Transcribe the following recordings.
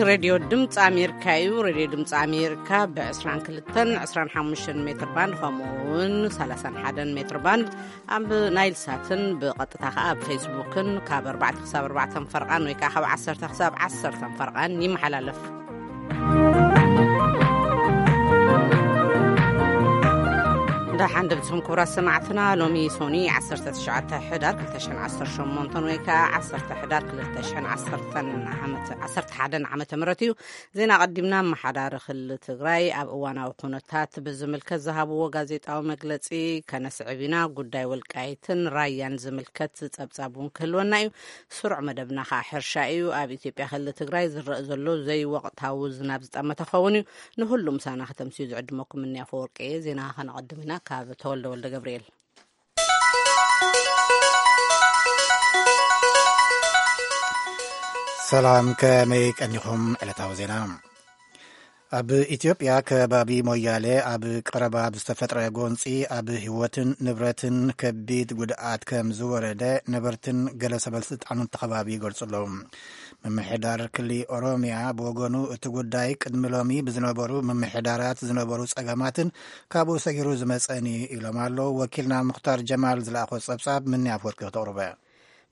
ሬድዮ ድምፂ ኣሜሪካ እዩ። ሬድዮ ድምፂ ኣሜሪካ ብ22፣ 25 ሜትር ባንድ፣ ከምኡ እውን 31 ሜትር ባንድ ኣብ ናይል ሳትን ብቐጥታ ከኣ ኣብ ፌስቡክን ካብ ኣርባዕተ ክሳብ ኣርባዕተ ፈርቓን ወይ ከኣ ካብ ዓሰርተ ክሳብ ዓሰርተ ፈርቓን ይመሓላለፍ። ደሓን ድምፅኹም ክቡራት ሰማዕትና። ሎሚ ሶኒ 19 ሕዳር 2018 ወይ ከኣ 10 ሕዳር 2010 ዓመት 11 ዓመተ ምህረት እዩ። ዜና ቀዲምና። ኣመሓዳሪ ክልል ትግራይ ኣብ እዋናዊ ኩነታት ብዝምልከት ዝሃብዎ ጋዜጣዊ መግለጺ ከነስዕብ ኢና። ጉዳይ ወልቃይትን ራያን ዝምልከት ጸብጻብ እውን ክህልወና እዩ። ስሩዕ መደብና ከኣ ሕርሻ እዩ። ኣብ ኢትዮጵያ ክልል ትግራይ ዝረእ ዘሎ ዘይወቕታዊ ዝናብ ዝጠመተ ክኸውን እዩ። ንሁሉ ምሳና ከተምስዩ ዝዕድመኩም እኒ ኣፈወርቂ እየ። ዜና ከነቐድም ኢና ካብ ተወልደ ወልደ ገብርኤል። ሰላም፣ ከመይ ቀኒኹም? ዕለታዊ ዜና። ኣብ ኢትዮጵያ ከባቢ ሞያሌ ኣብ ቀረባ ብዝተፈጥረ ጎንፂ ኣብ ህይወትን ንብረትን ከቢድ ጉድኣት ከም ዝወረደ ነበርትን ገለ ሰበስልጣንን እቲ ከባቢ ይገልጹ ኣለዉ። ምምሕዳር ክሊ ኦሮሚያ ብወገኑ እቲ ጉዳይ ቅድሚ ሎሚ ብዝነበሩ ምምሕዳራት ዝነበሩ ጸገማትን ካብኡ ሰጊሩ ዝመጸን እዩ ኢሎም ኣለዉ። ወኪልና ሙኽታር ጀማል ዝለኣኾ ጸብጻብ ምኒ ኣፍወርቂ ክተቕርበ።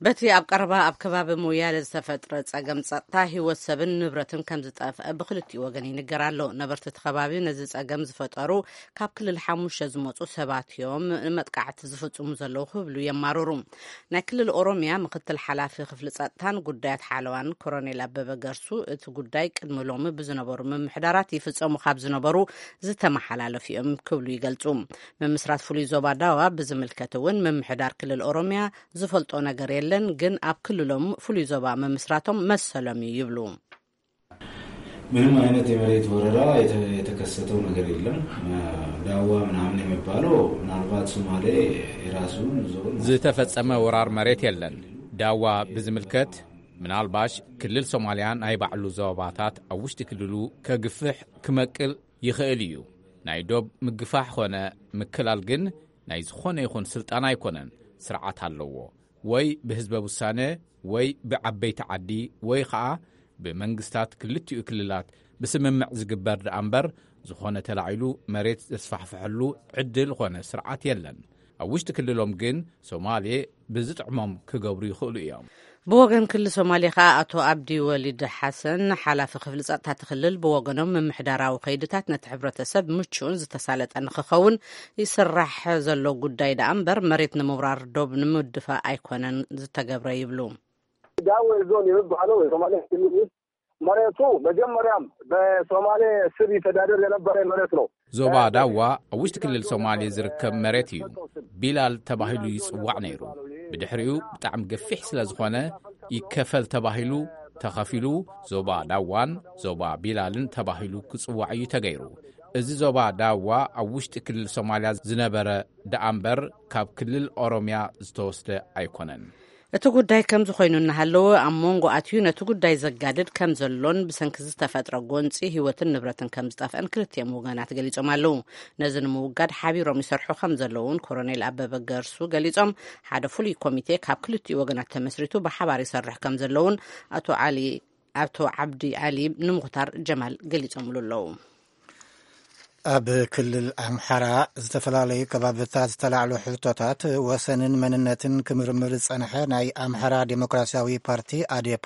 በቲ ኣብ ቀረባ ኣብ ከባቢ ሞያሌ ዝተፈጥረ ጸገም ጸጥታ ህይወት ሰብን ንብረትን ከም ዝጠፍአ ብክልቲኡ ወገን ይንገር ኣሎ። ነበርቲ እቲ ከባቢ ነዚ ጸገም ዝፈጠሩ ካብ ክልል ሓሙሽተ ዝመጹ ሰባት እዮም ንመጥቃዕቲ ዝፍጽሙ ዘለዉ ክብሉ የማርሩ። ናይ ክልል ኦሮሚያ ምክትል ሓላፊ ክፍሊ ጸጥታን ጉዳያት ሓለዋን ኮሮኔል ኣበበ ገርሱ እቲ ጉዳይ ቅድሚ ሎሚ ብዝነበሩ ምምሕዳራት ይፍጸሙ ካብ ዝነበሩ ዝተመሓላለፉ እዮም ክብሉ ይገልጹ። ምምስራት ፍሉይ ዞባ ዳዋ ብዝምልከት እውን ምምሕዳር ክልል ኦሮሚያ ዝፈልጦ ነገር የለን፣ ግን ኣብ ክልሎም ፍሉይ ዞባ ምምስራቶም መሰሎም እዩ ይብሉ። ምንም አይነት የመሬት ወረራ የተ-፣ የተከሰተው ነገር የለም። ዳዋ ምናምን የሚባለው ምናልባት ሶማሌ የራሱን ዞን ዝተፈጸመ ወራር መሬት የለን። ዳዋ ብዝምልከት ምናልባሽ ክልል ሶማልያ ናይ ባዕሉ ዞባታት ኣብ ውሽጢ ክልሉ ከግፍሕ ክመቅል ይኽእል እዩ። ናይ ዶብ ምግፋሕ ኾነ ምክላል ግን ናይ ዝኾነ ይኹን ስልጣን ኣይኮነን። ስርዓት ኣለዎ። ወይ ብህዝበ ውሳነ ወይ ብዓበይቲ ዓዲ ወይ ኸኣ ብመንግስታት ክልቲኡ ክልላት ብስምምዕ ዝግበር ደኣ እምበር ዝኾነ ተላዒሉ መሬት ዘስፋሕፍሐሉ ዕድል ኾነ ስርዓት የለን። ኣብ ውሽጢ ክልሎም ግን ሶማሌ ብዝጥዕሞም ክገብሩ ይኽእሉ እዮም። ብወገን ክልል ሶማሌ ከኣ ኣቶ ኣብዲ ወሊድ ሓሰን ሓላፊ ክፍሊ ጸጥታ እቲ ክልል ብወገኖም ምምሕዳራዊ ከይድታት ነቲ ሕብረተሰብ ምቹእን ዝተሳለጠ ንክኸውን ይስራሕ ዘሎ ጉዳይ ደኣ እምበር መሬት ንምውራር ዶብ ንምድፋእ ኣይኮነን ዝተገብረ ይብሉ። ዳወ ዞን የሚባለው የሶማሌ ክልል ውስጥ መሬቱ መጀመሪያም በሶማሌ ስር ይተዳደር የነበረ መሬት ነው። ዞባ ዳዋ ኣብ ውሽጢ ክልል ሶማሌ ዝርከብ መሬት እዩ። ቢላል ተባሂሉ ይጽዋዕ ነይሩ። ብድሕሪኡ ብጣዕሚ ገፊሕ ስለ ዝኾነ ይከፈል ተባሂሉ ተኸፊሉ ዞባ ዳዋን ዞባ ቢላልን ተባሂሉ ክጽዋዕ እዩ ተገይሩ። እዚ ዞባ ዳዋ ኣብ ውሽጢ ክልል ሶማልያ ዝነበረ ደኣ እምበር ካብ ክልል ኦሮምያ ዝተወስደ ኣይኮነን። እቲ ጉዳይ ከምዚ ኮይኑ እናሃለወ ኣብ መንጎ ኣትዩ ነቲ ጉዳይ ዘጋድድ ከም ዘሎን ብሰንኪ ዝተፈጥረ ጎንፂ ህይወትን ንብረትን ከም ዝጠፍአን ክልቲኦም ወገናት ገሊጾም ኣለዉ። ነዚ ንምውጋድ ሓቢሮም ይሰርሑ ከም ዘለውን ኮሮኔል ኣበበ ገርሱ ገሊጾም፣ ሓደ ፍሉይ ኮሚቴ ካብ ክልቲኡ ወገናት ተመስሪቱ ብሓባር ይሰርሕ ከም ዘለውን ኣቶ ዓሊ፣ ኣቶ ዓብዲ ዓሊ ንሙኽታር ጀማል ገሊጾምሉ ኣለዉ። ኣብ ክልል ኣምሓራ ዝተፈላለዩ ከባብታት ዝተላዕሉ ሕቶታት ወሰንን መንነትን ክምርምር ዝጸንሐ ናይ ኣምሓራ ዴሞክራሲያዊ ፓርቲ ኣዴፓ፣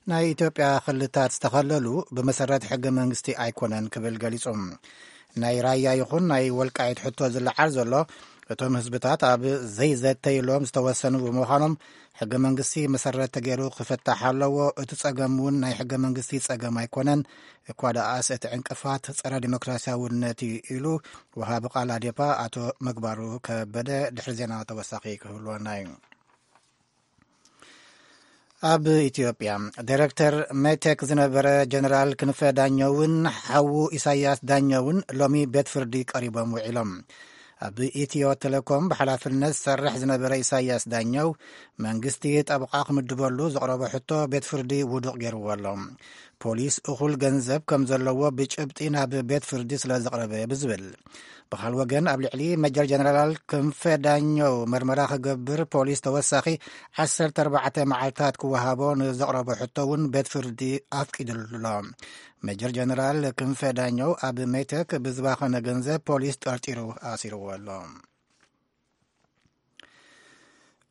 ናይ ኢትዮጵያ ክልታት ዝተኸለሉ ብመሰረት ሕገ መንግስቲ ኣይኮነን ክብል ገሊጹ። ናይ ራያ ይኹን ናይ ወልቃይት ሕቶ ዝለዓል ዘሎ እቶም ህዝብታት ኣብ ዘይዘተይሎም ዝተወሰኑ ብምዃኖም ሕገ መንግስቲ መሰረት ተገይሩ ክፍታሕ ኣለዎ። እቲ ጸገም እውን ናይ ሕገ መንግስቲ ጸገም ኣይኮነን፣ እኳ ደኣስ እቲ ዕንቅፋት ጸረ ዲሞክራሲያውነት እዩ ኢሉ ወሃቢ ቃል ኣዴፓ ኣቶ ምግባሩ ከበደ። ድሕሪ ዜና ተወሳኺ ክህልወና እዩ። ኣብ ኢትዮጵያ ዳይሬክተር ሜቴክ ዝነበረ ጀነራል ክንፈ ዳኘውን ሓዉ ኢሳያስ ዳኘውን ሎሚ ቤት ፍርዲ ቀሪቦም ውዒሎም። ኣብ ኢትዮ ቴሌኮም ብሓላፍነት ዝሰርሕ ዝነበረ ኢሳያስ ዳኘው መንግስቲ ጠበቓ ክምድበሉ ዘቕረቦ ሕቶ ቤት ፍርዲ ውዱቕ ገይርዎ ኣሎ። ፖሊስ እኹል ገንዘብ ከም ዘለዎ ብጭብጢ ናብ ቤት ፍርዲ ስለ ዘቕረበ ብዝብል። ብኻል ወገን ኣብ ልዕሊ መጀር ጀነራል ክንፈ ዳኘው መርመራ ክገብር ፖሊስ ተወሳኺ ዓሰርተ ኣርባዕተ መዓልታት ክወሃቦ ንዘቕረቦ ሕቶ እውን ቤት ፍርዲ ኣፍቂዱሉ ኣሎ። መጀር ጀነራል ክንፈ ዳኘው ኣብ ሜቴክ ብዝባኸነ ገንዘብ ፖሊስ ጠርጢሩ ኣሲርዎ ኣሎ።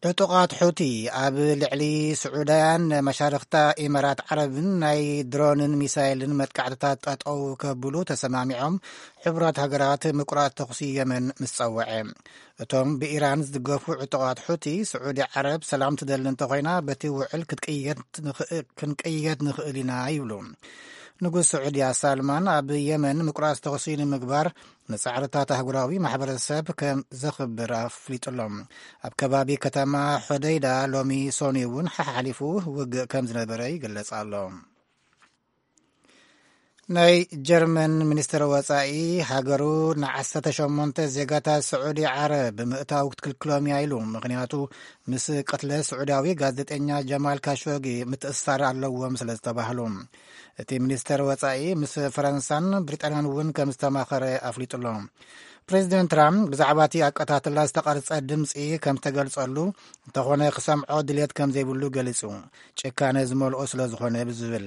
ዕጡቓት ሑቲ ኣብ ልዕሊ ስዑዳያን መሻርኽታ ኢማራት ዓረብን ናይ ድሮንን ሚሳይልን መጥቃዕትታት ጠጠው ከብሉ ተሰማሚዖም፣ ሕቡራት ሃገራት ምቁራጽ ተኹሲ የመን ምስ ጸወዐ። እቶም ብኢራን ዝድገፉ ዕጡቓት ሑቲ፣ ስዑዲ ዓረብ ሰላም ትደሊ እንተኾይና፣ በቲ ውዕል ክትቅየድ ንኽእል፣ ክንቅየድ ንኽእል ኢና ይብሉ። ንጉስ ስዑድያ ሳልማን ኣብ የመን ምቁራጽ ተኹሲ ንምግባር ንጻዕርታት ኣህጉራዊ ማሕበረሰብ ከም ዘኽብር ኣፍሊጡሎም። ኣብ ከባቢ ከተማ ሖደይዳ ሎሚ ሶኒ እውን ሓሓሊፉ ውግእ ከም ዝነበረ ይግለጽ ኣሎ። ናይ ጀርመን ሚኒስትር ወጻኢ፣ ሃገሩ ንዓሰርተ ሸሞንተ ዜጋታት ስዑዲ ዓረብ ብምእታው ክትክልክሎም እያ ኢሉ። ምኽንያቱ ምስ ቅትለት ስዑዳዊ ጋዜጠኛ ጀማል ካሾጊ ምትእስሳር ኣለዎም ስለ ዝተባህሉ። እቲ ሚኒስተር ወጻኢ ምስ ፈረንሳን ብሪጣንያን እውን ከም ዝተማኸረ ኣፍሊጡ ኣሎ። ፕሬዚደንት ትራምፕ ብዛዕባ እቲ ኣቀታትላ ዝተቐርጸ ድምጺ ከም ዝተገልጸሉ እንተኾነ ክሰምዖ ድሌት ከም ዘይብሉ ገሊጹ። ጭካነ ዝመልኦ ስለ ዝኾነ ብዝብል።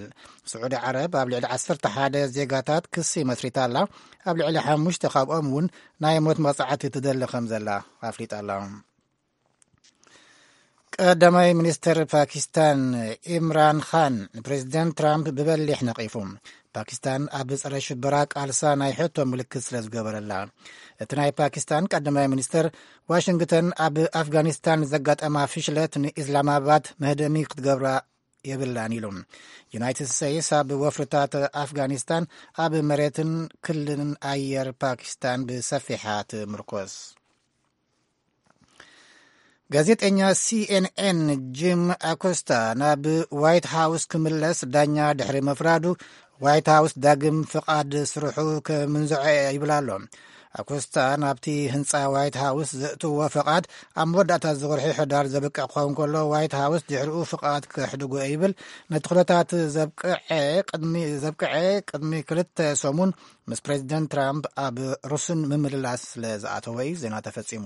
ስዑዲ ዓረብ ኣብ ልዕሊ ዓሰርተ ሓደ ዜጋታት ክሲ መስሪታ ኣላ። ኣብ ልዕሊ ሓሙሽተ ካብኦም እውን ናይ ሞት መቕጻዕቲ ትደሊ ከም ዘላ ኣፍሊጣ ኣላ። ቀዳማይ ሚኒስተር ፓኪስታን ኢምራን ኻን ንፕሬዚደንት ትራምፕ ብበሊሕ ነቒፉ። ፓኪስታን ኣብ ጸረ ሽበራ ቃልሳ ናይ ሕቶ ምልክት ስለ ዝገበረላ። እቲ ናይ ፓኪስታን ቀዳማይ ሚኒስተር፣ ዋሽንግተን ኣብ ኣፍጋኒስታን ዘጋጠማ ፍሽለት ንኢስላማባድ መህደሚ ክትገብራ የብላን ኢሉ። ዩናይትድ ስቴትስ ኣብ ወፍርታት ኣፍጋኒስታን ኣብ መሬትን ክልልን ኣየር ፓኪስታን ብሰፊሓ ትምርኮስ። ጋዜጠኛ ሲኤንኤን ጂም ኣኮስታ ናብ ዋይት ሃውስ ክምለስ ዳኛ ድሕሪ ምፍራዱ፣ ዋይት ሃውስ ዳግም ፍቓድ ስርሑ ክምንዝዖ እየ ይብል ኣሎ። ኣኮስታ ናብቲ ህንጻ ዋይት ሃውስ ዘእትዎ ፍቓድ ኣብ መወዳእታ እዚ ወርሒ ሕዳር ዘብቅዕ ክኸውን ከሎ፣ ዋይት ሃውስ ድሕሪኡ ፍቓድ ከሕድጎ ይብል። ነቲ ኩነታት ዘብቅዐ ቅድሚ፣ ዘብቅዐ ቅድሚ ክልተ ሰሙን ምስ ፕሬዚደንት ትራምፕ ኣብ ሩስን ምምልላስ ስለ ዝኣተወ እዩ። ዜና ተፈጺሙ።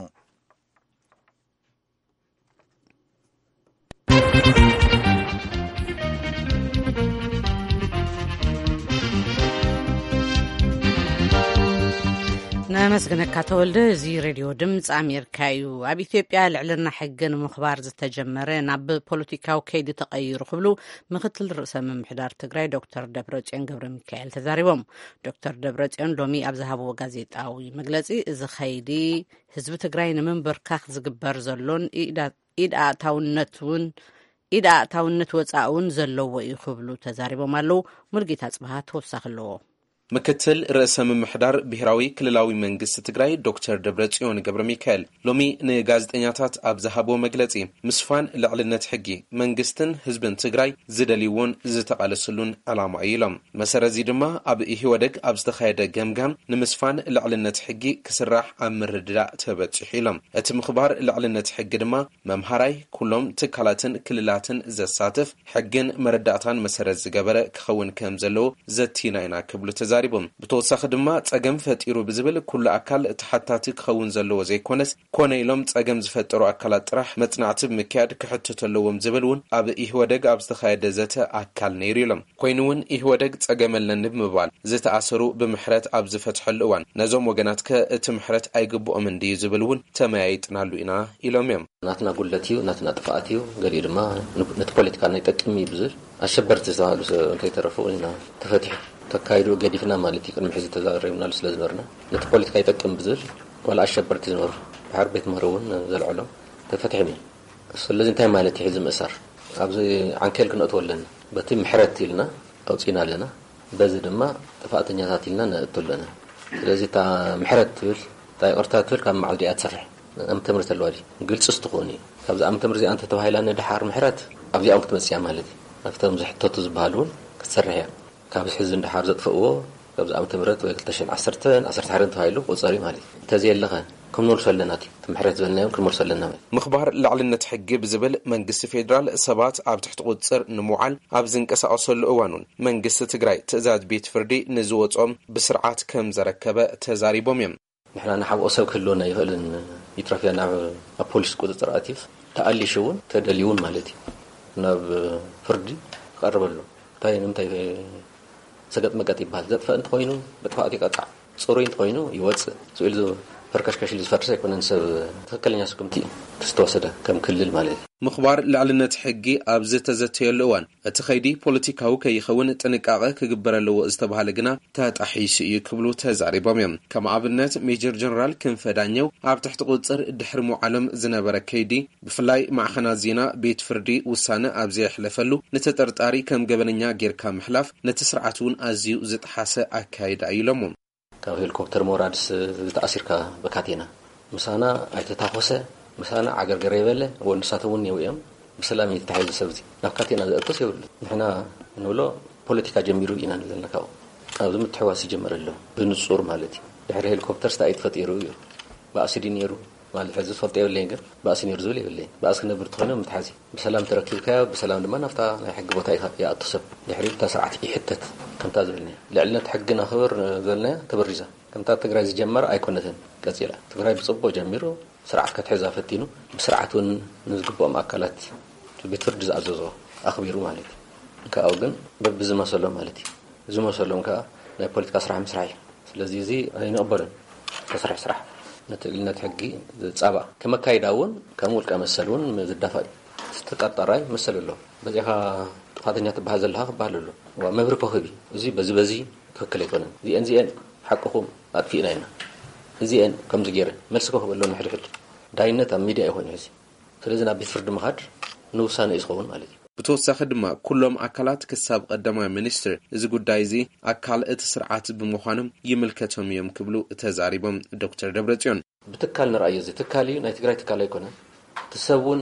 ነመስግነካ ተወልደ። እዚ ሬድዮ ድምፂ ኣሜሪካ እዩ። ኣብ ኢትዮጵያ ልዕልና ሕጊ ንምኽባር ዝተጀመረ ናብ ፖለቲካዊ ከይዲ ተቐይሩ ክብሉ ምክትል ርእሰ ምምሕዳር ትግራይ ዶክተር ደብረጽዮን ገብረ ሚካኤል ተዛሪቦም። ዶክተር ደብረጽዮን ሎሚ ኣብ ዝሃብዎ ጋዜጣዊ መግለፂ፣ እዚ ከይዲ ህዝቢ ትግራይ ንምንብርካኽ ዝግበር ዘሎን ኢዳ-፣ ኢድ ኣእታውነት እውን፣ ኢድ ኣእታውነት ወፃኢ እውን ዘለዎ እዩ ክብሉ ተዛሪቦም ኣለዉ። ሙልጌታ ጽብሃ ተወሳኺ ኣለዎ። ምክትል ርእሰ ምምሕዳር ብሔራዊ ክልላዊ መንግስቲ ትግራይ ዶክተር ደብረጽዮን ገብረ ሚካኤል ሎሚ ንጋዜጠኛታት ኣብ ዝሃብዎ መግለጺ፣ ምስፋን ልዕልነት ሕጊ መንግስትን ህዝብን ትግራይ ዝደልይዎን ዝተቓለስሉን ዕላማ እዩ ኢሎም። መሰረት እዚ ድማ ኣብ ኢህወደግ ኣብ ዝተኻየደ ገምጋም ንምስፋን ልዕልነት ሕጊ ክስራሕ ኣብ ምርድዳእ ተበጺሑ ኢሎም። እቲ ምኽባር ልዕልነት ሕጊ ድማ መምሃራይ ኩሎም ትካላትን ክልላትን ዘሳትፍ ሕግን መረዳእታን መሰረት ዝገበረ ክኸውን ከም ዘለዎ ዘቲና ኢና ክብሉ ተዛሪቦም። ብተወሳኺ ድማ ጸገም ፈጢሩ ብዝብል ኩሉ ኣካል ተሓታቲ ክኸውን ዘለዎ ዘይኮነስ፣ ኮነ ኢሎም ጸገም ዝፈጠሩ ኣካላት ጥራሕ መጽናዕቲ ብምክያድ ክሕተቱ ኣለዎም ዝብል እውን ኣብ ኢህወደግ ኣብ ዝተኻየደ ዘተ ኣካል ነይሩ ኢሎም። ኮይኑ እውን ኢህወደግ ጸገም ኣለኒ ብምባል ዝተኣሰሩ ብምሕረት ኣብ ዝፈትሐሉ እዋን ነዞም ወገናት ከ እቲ ምሕረት ኣይግብኦምን ድዩ ዝብል እውን ተመያይጥናሉ ኢና ኢሎም እዮም። ናትና ጉድለት እዩ፣ ናትና ጥፍኣት እዩ፣ ገሊኡ ድማ ን-፣ ነቲ ፖለቲካ ናይ ጠቅም እዩ ብዝብል ኣሸበርቲ ዝተባህሉ ሰብ እንተይተረፉ ኢና ተፈቲሑ። ተካይዱ ገዲፍና ማለት እዩ። ቅድሚ ሕዚ ተዛሪብናሉ ስለ ዝነበርና ነቲ ፖለቲካ ይጠቅም ብዝብል ዋላ ኣሸበርቲ ዝነበሩ ድሓር ቤት ምህሮ እውን ዘልዐሎም ተፈቲሖም እዮም። ስለዚ እንታይ ማለት እዩ ሕዚ ምእሳር? ኣብዚ ዓንኬል ክነእትዎ ኣለና። በቲ ምሕረት ኢልና ኣውፂና ኣለና። በዚ ድማ ጥፋእተኛታት ኢልና ነእቱ ኣለና። ስለዚ እታ ምሕረት ትብል፣ እታ ይቕርታ ትብል ካብ መዓልቲ እያ ትሰርሕ። ዓመተ ምህረት ኣለዋ ድዩ? ግልፂ ስትኾን እዩ። ካብዚ ዓመተ ምህረት እዚኣ እንተተባሂላ ንድሓር ምሕረት ኣብዚኣ እውን ክትመፅእ እያ ማለት እዩ። ኣብቶም ዝሕተቱ ዝበሃሉ እውን ክትሰርሕ እያ። ካብ ሕዚ ንድሓር ዘጥፍእዎ ካብዚ ዓመተ ምህረት ወይ ክልተ ሽሕን ዓሰርተን ዓሰርተ ሓደን ተባሂሉ ክቑፀር እዩ ማለት እዩ። እንተዘየለኸ ክንመልሶ ኣለና። እቲ ምሕረት ዝበልናዮ ክንመልሶ ኣለና ማለት። ምኽባር ልዕልነት ሕጊ ብዝብል መንግስቲ ፌዴራል ሰባት ኣብ ትሕቲ ቁፅፅር ንምውዓል ኣብ ዝንቀሳቐሰሉ እዋን እውን መንግስቲ ትግራይ ትእዛዝ ቤት ፍርዲ ንዝወፅኦም ብስርዓት ከም ዘረከበ ተዛሪቦም እዮም። ንሕና ንሓብኦ ሰብ ክህልወና ይኽእልን ይትረፍያ ናብ ኣብ ፖሊስ ቁፅፅር ኣትዩስ ተኣሊሹ እውን ተደልዩ እውን ማለት እዩ ናብ ፍርዲ ክቐርበሉ እንታይ ንምንታይ ሰገጥ መገጥ ይበሃል። ዘጥፈእ እንተኾይኑ መጥፋእቲ ይቀጻዕ፣ ጽሩይ እንተኾይኑ ይወጽእ። ስኡ ኢሉ ፈርከሽከሽ ኢሉ ዝፈርስ ኣይኮነን። ሰብ ትኽክለኛ ስጉምቲ ዝተወሰደ ከም ክልል ማለት እዩ። ምኽባር ልዕልነት ሕጊ ኣብ ዝተዘተየሉ እዋን እቲ ኸይዲ ፖለቲካዊ ከይኸውን ጥንቃቐ ክግበር ኣለዎ ዝተባሃለ ግና ተጣሒሱ እዩ ክብሉ ተዛሪቦም እዮም። ከም ኣብነት ሜጀር ጀነራል ክንፈ ዳኘው ኣብ ትሕቲ ቁፅር ድሕሪ ምውዓሎም ዝነበረ ከይዲ ብፍላይ ማዕኸናት ዜና ቤት ፍርዲ ውሳነ ኣብ ዘየሕለፈሉ ንተጠርጣሪ ከም ገበነኛ ጌርካ ምሕላፍ ነቲ ስርዓት እውን ኣዝዩ ዝጠሓሰ ኣካይዳ እዩ ኢሎሞ። ካብ ሄሊኮፕተር ምውራድስ ተኣሲርካ ብካቴና ምሳና ኣይተታኾሰ ምሳና ዓገርገር የበለ ወንሳት እውን የው እዮም። ብሰላም እዩ ተታሒዙ ሰብ እዚ ናብ ካቴና ዘእቶስ የብሉ። ንሕና ንብሎ ፖለቲካ ጀሚሩ ኢና ንብል ዘለና ካብኡ ኣብዚ ምትሕዋስ ይጀመር ኣሎ ብንጹር ማለት እዩ። ድሕሪ ሄሊኮፕተር ስታ እዩ ተፈጢሩ እዩ ባእሲ ድዩ ነይሩ ማለት ሕዚ ዝፈልጦ የብለይን ግን ባእሲ ነይሩ ዝብል የብለይን። ባእሲ ክነብር ተኾይኖም ምትሓዚ ብሰላም ተረኪብካዮ ብሰላም ድማ ናብታ ናይ ሕጊ ቦታ ኢኻ ይኣቱ ሰብ ድሕሪ እታ ስርዓት ይሕተት። ከምታ ዝበልናዮ ልዕልነት ሕጊ ናኽብር ዝበልናዮ ተበሪዛ ከምታ ትግራይ ዝጀመረ ኣይኮነትን። ቀፂላ ትግራይ ብፅቡቅ ጀሚሩ ስርዓት ከትሕዛ ፈቲኑ ብስርዓት እውን ንዝግብኦም ኣካላት ቤት ፍርዲ ዝኣዘዞ ኣኽቢሩ ማለት እዩ። ካብኡ ግን በብዝመሰሎም ማለት እዩ። ዝመሰሎም ከዓ ናይ ፖለቲካ ስራሕ ምስራሕ እዩ። ስለዚ እዚ ኣይንቕበልን። ተስርሕ ስራሕ ነቲ ልዕልነት ሕጊ ዝፃባእ ከመካይዳ እውን ከም ውልቀ መሰል እውን ዝዳፋእ እዩ። ዝተጠርጠራይ መሰል ኣሎ። በዚኻ ጥፋተኛ ትበሃል ዘለኻ ክበሃል ኣሎ። ዋ መብሪ ኮኽብ እዩ። እዚ በዚ በዚ ትኽክል ኣይኮነን። እዚአን እዚአን ሓቅኹም ኣጥፊእና ኢና። እዚአን ከምዚ ገይረ መልሲ ኮኽብ ኣሎ ንሕድሕድ ዳይነት ኣብ ሚድያ ይኾን ሕዚ ስለዚ ናብ ቤት ፍርዲ ምኻድ ንውሳነ እዩ ዝኸውን ማለት እዩ። ብተወሳኺ ድማ ኩሎም ኣካላት ክሳብ ቀዳማይ ሚኒስትር እዚ ጉዳይ እዚ ኣካል እቲ ስርዓት ብምዃኖም ይምልከቶም እዮም ክብሉ ተዛሪቦም ዶክተር ደብረጽዮን። ብትካል ንርኣዮ እዚ ትካል እዩ ናይ ትግራይ ትካል ኣይኮነን። እቲ ሰብ እውን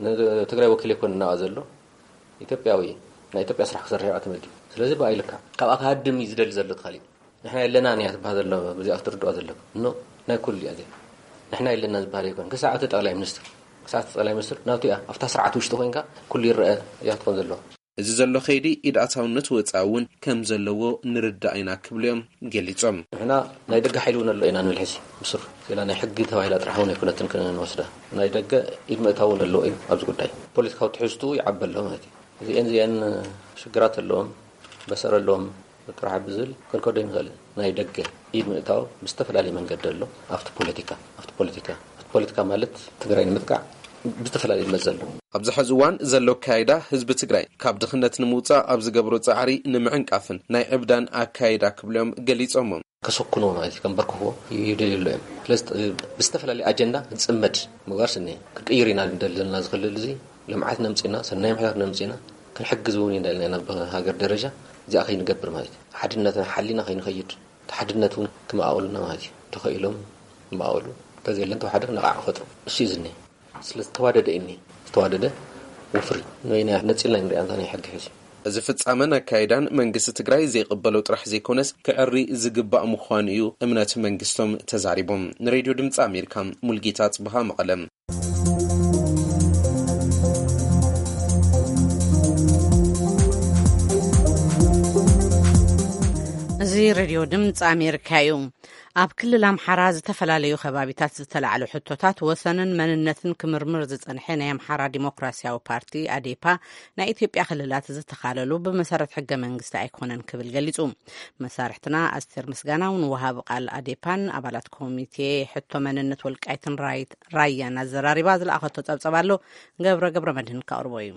ንትግራይ ወኪል ኣይኮነ እናኣ ዘሎ ኢትዮጵያዊ ናይ ኢትዮጵያ ስራሕ ክሰርሕ ተመዲቡ ስለዚ ብኣይ ልካ ካብኣ ክሃድም እዩ ዝደሊ ዘሎ ትኻል እዩ። ንሕና የለና ንያ ትበሃል ዘሎ ብዚኣ ክትርድኦ ዘሎ ኖ ናይ ኩሉ እያ እዚኣ። ንሕና የለና ዝበሃል ኣይኮን ክሳዕ እቲ ጠቕላይ ሚኒስትር ክሳዕ እቲ ጠቕላይ ሚኒስትር ናብቲ እያ ኣብታ ስርዓት ውሽጢ ኮይንካ ኩሉ ይረአ እያ ትኾን ዘለዎ። እዚ ዘሎ ከይዲ ኢድ ኣታውነት ወፃኢ እውን ከም ዘለዎ ንርዳእ ኢና ክብሉ እዮም ገሊፆም። ንሕና ናይ ደገ ሓይሊ እውን ኣሎ ኢና ንብል ሕዚ ብስሩ ሌላ ናይ ሕጊ ተባሂላ ጥራሕ እውን ኣይኮነትን ክንወስዳ ናይ ደገ ኢድ ምእታው እውን ኣለዎ እዩ ኣብዚ ጉዳይ ፖለቲካዊ ትሕዝትኡ ይዓቢ ኣሎ ማለት እዩ። እዚአን እዚአን ሽግራት ኣለዎም በሰር ኣለዎም ጥራሕ ብዝብል ክንከዶ ይንኽእል። ናይ ደገ ኢድ ምእታው ብዝተፈላለየ መንገዲ ኣሎ ኣብቲ ፖለቲካ ኣብቲ ፖለቲካ ኣብቲ ፖለቲካ ማለት ትግራይ ንምጥቃዕ ብዝተፈላለየ ዝመፀ ኣሎ። ኣብዚ ሕዚ እዋን ዘሎ ኣካይዳ ህዝቢ ትግራይ ካብ ድኽነት ንምውፃእ ኣብ ዝገብሮ ፃዕሪ ንምዕንቃፍን ናይ ዕብዳን ኣካይዳ ክብሎም ገሊፆሞ። ከሰኩንዎ ማለት እዩ ከንበርክኽዎ ይደልዩ ኣሎ እዮም። ስለዚ ብዝተፈላለየ ኣጀንዳ ዝፅመድ ምግባር ስኒ ክንቅይር ኢና ንደሊ ዘለና ዝኽልል እዚ ልምዓት ነምፅና ሰናይ ምሕታት ነምፅና ክንሕግዝ እውን እንዳልና ናብ ሃገር ደረጃ እዚኣ ከይንገብር ማለት እዩ ሓድነትና ሓሊና ከይንኸይድ እቲ ሓድነት እውን ክመኣውልና ማለት እዩ ተኸኢሎም ክመኣውሉ እንተዘየለን ተዋሓደ ነቓዕ ክፈጥሩ እሱ እዩ ዝኒ ስለ ዝተዋደደ እኒ ዝተዋደደ ወፍሪ ንበይና ነፂልና ንሪኣ እንታ ናይ ሕጊ ሕዚ እዚ ፍጻመን ኣካይዳን መንግስቲ ትግራይ ዘይቕበሎ ጥራሕ ዘይኮነስ ክዕሪ ዝግባእ ምዃኑ እዩ እምነት መንግስቶም ተዛሪቦም። ንሬድዮ ድምፂ ኣሜሪካ ሙልጌታ ጽብሃ መቐለም። እዚ ሬድዮ ድምፂ ኣሜሪካ እዩ። ኣብ ክልል ኣምሓራ ዝተፈላለዩ ከባቢታት ዝተላዕሉ ሕቶታት ወሰንን መንነትን ክምርምር ዝጸንሐ ናይ ኣምሓራ ዲሞክራሲያዊ ፓርቲ ኣዴፓ ናይ ኢትዮጵያ ክልላት ዝተኻለሉ ብመሰረት ሕገ መንግስቲ ኣይኮነን ክብል ገሊጹ። መሳርሕትና ኣስቴር ምስጋናው ንወሃቢ ቃል ኣዴፓን ኣባላት ኮሚቴ ሕቶ መንነት ወልቃይትን ራይት ራያን ኣዘራሪባ ዝለኣኸቶ ጸብጸብ ኣሎ። ገብረ ገብረ መድህን ካቕርቦ እዩ።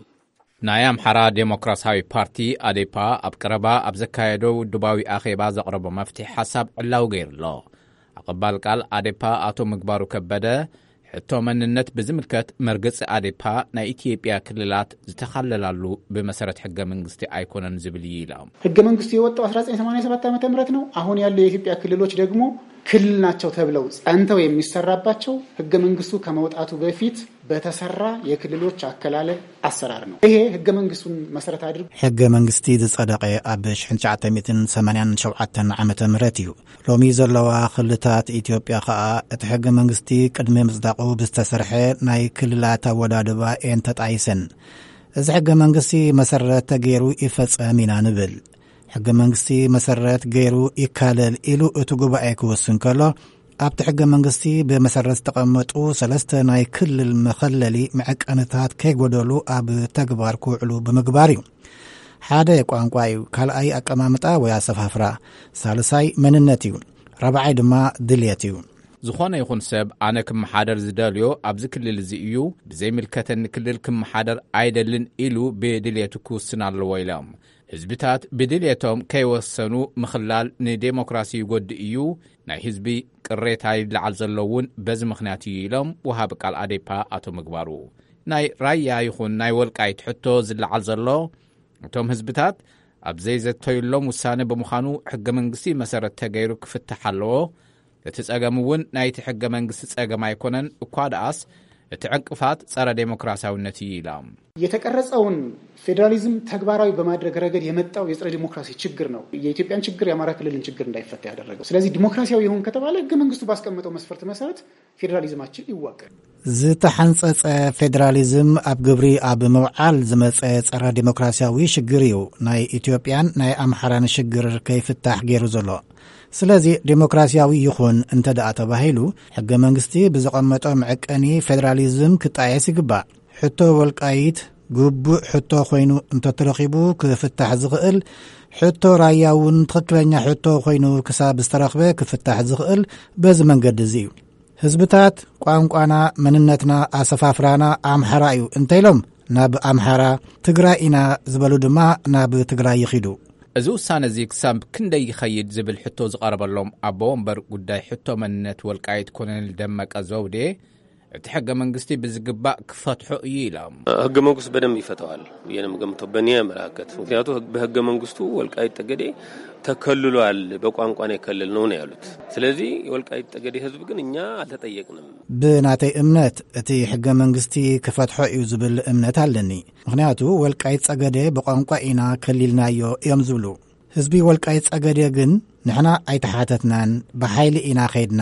ናይ ኣምሓራ ዴሞክራሲያዊ ፓርቲ ኣዴፓ ኣብ ቀረባ ኣብ ዘካየዶ ውድባዊ ኣኼባ ዘቕረቦ መፍትሒ ሓሳብ ዕላዊ ገይሩ ኣሎ። ኣቐባል ቃል ኣዴፓ ኣቶ ምግባሩ ከበደ ሕቶ መንነት ብዝምልከት መርገጺ ኣዴፓ ናይ ኢትዮጵያ ክልላት ዝተኻለላሉ ብመሰረት ሕገ መንግስቲ ኣይኮነን ዝብል እዩ ኢሎም። ህገ መንግስቱ የወጣው አስራ ዘጠኝ ሰማንያ ሰባት ዓመተ ምህረት ነው። አሁን ያለው የኢትዮጵያ ክልሎች ደግሞ ክልል ናቸው ተብለው ጸንተው የሚሰራባቸው ህገ መንግስቱ ከመውጣቱ በፊት በተሰራ የክልሎች አከላለል አሰራር ነው። ይሄ ህገ መንግስቱን መሰረት አድርጎ ሕገ መንግስቲ ዝጸደቐ ኣብ ሽሕን ትሽዓተ ሚእትን ሰማንያን ሸውዓተን ዓመተ ምህረት እዩ። ሎሚ ዘለዋ ክልላት ኢትዮጵያ ኸኣ እቲ ሕገ መንግስቲ ቅድሚ ምጽዳቑ ብዝተሰርሐ ናይ ክልላት ኣወዳድባ እየን ተጣይሰን። እዚ ሕገ መንግስቲ መሰረት ተገይሩ ይፈጸም ኢና ንብል። ሕገ መንግስቲ መሰረት ገይሩ ይካለል ኢሉ እቲ ጉባኤ ክውስን ከሎ፣ ኣብቲ ሕገ መንግስቲ ብመሰረት ዝተቐመጡ ሰለስተ ናይ ክልል መኸለሊ መዐቀንታት ከይጎደሉ ኣብ ተግባር ክውዕሉ ብምግባር እዩ። ሓደ ቋንቋ እዩ፣ ካልኣይ ኣቀማምጣ ወይ ኣሰፋፍራ፣ ሳልሳይ መንነት እዩ፣ ራብዓይ ድማ ድልየት እዩ። ዝኾነ ይኹን ሰብ ኣነ ክመሓደር ዝደልዮ ኣብዚ ክልል እዚ እዩ፣ ብዘይምልከተኒ ክልል ክመሓደር ኣይደልን ኢሉ ብድልየቱ ክውስን ኣለዎ ኢሎም። ህዝብታት ብድልየቶም ከይወሰኑ ምኽላል ንዴሞክራሲ ይጎድእ እዩ፣ ናይ ህዝቢ ቅሬታ ይለዓል ዘሎ እውን በዚ ምኽንያት እዩ ኢሎም ወሃቢ ቃል ኣዴፓ ኣቶ ምግባሩ። ናይ ራያ ይኹን ናይ ወልቃይት ሕቶ ዝለዓል ዘሎ እቶም ህዝብታት ኣብ ዘይዘተዩሎም ውሳነ ብምዃኑ ሕገ መንግስቲ መሰረት ተገይሩ ክፍታሕ ኣለዎ። እቲ ጸገም እውን ናይቲ ሕገ መንግስቲ ጸገም ኣይኮነን፣ እኳ ደኣስ እቲ ዕንቅፋት ጸረ ዴሞክራሲያዊነት እዩ ኢሎም። የተቀረጸውን ፌዴራሊዝም ተግባራዊ በማድረግ ረገድ የመጣው የጸረ ዲሞክራሲ ችግር ነው የኢትዮጵያን ችግር የአማራ ክልልን ችግር እንዳይፈታ ያደረገው። ስለዚህ ዲሞክራሲያዊ ይሁን ከተባለ ህገ መንግስቱ ባስቀመጠው መስፈርት መሰረት ፌዴራሊዝማችን ይዋቀር። ዝተሓንጸጸ ፌዴራሊዝም ኣብ ግብሪ ኣብ ምውዓል ዝመጸ ጸረ ዲሞክራሲያዊ ሽግር እዩ። ናይ ኢትዮጵያን ናይ ኣምሓራን ሽግር ከይፍታሕ ገይሩ ዘሎ። ስለዚ ዲሞክራሲያዊ ይኹን እንተ ደኣ ተባሂሉ፣ ሕገ መንግስቲ ብዘቐመጦ መዐቀኒ ፌዴራሊዝም ክጣየስ ይግባእ። ሕቶ ወልቃይት ግቡእ ሕቶ ኮይኑ እንተተረኺቡ ክፍታሕ ዝኽእል፣ ሕቶ ራያ እውን ትኽክለኛ ሕቶ ኮይኑ ክሳብ ዝተረኽበ ክፍታሕ ዝኽእል በዚ መንገዲ እዚ እዩ። ህዝብታት ቋንቋና፣ መንነትና፣ ኣሰፋፍራና ኣምሓራ እዩ እንተኢሎም ናብ ኣምሓራ፣ ትግራይ ኢና ዝበሉ ድማ ናብ ትግራይ ይኺዱ። እዚ ውሳነ እዚ ክሳብ ክንደይ ይኸይድ ዝብል ሕቶ ዝቐረበሎም ኣቦ ወንበር ጉዳይ ሕቶ መንነት ወልቃይት ኮሎኔል ደመቀ ዘውዴ፣ እቲ ሕገ መንግስቲ ብዝግባእ ክፈትሖ እዩ ኢሎም። ህገ መንግስቱ በደንብ ይፈተዋል ብዬ ነው የምገምተው፣ በእኔ አመለካከት። ምክንያቱ ህግ-፣ በህገ መንግስቱ ወልቃይት ጠገዴ ተከልሏል፣ በቋንቋ ነው የከለልነው ነው ያሉት። ስለዚህ የወልቃይት ጠገዴ ህዝብ ግን እኛ አልተጠየቅንም። ብናተይ እምነት እቲ ሕገ መንግስቲ ክፈትሖ እዩ ዝብል እምነት ኣለኒ። ምክንያቱ ወልቃይት ጸገዴ ብቋንቋ ኢና ከሊልናዮ እዮም ዝብሉ። ህዝቢ ወልቃይት ጸገዴ ግን ንሕና ኣይተሓተትናን፣ ብሓይሊ ኢና ኸይድና፣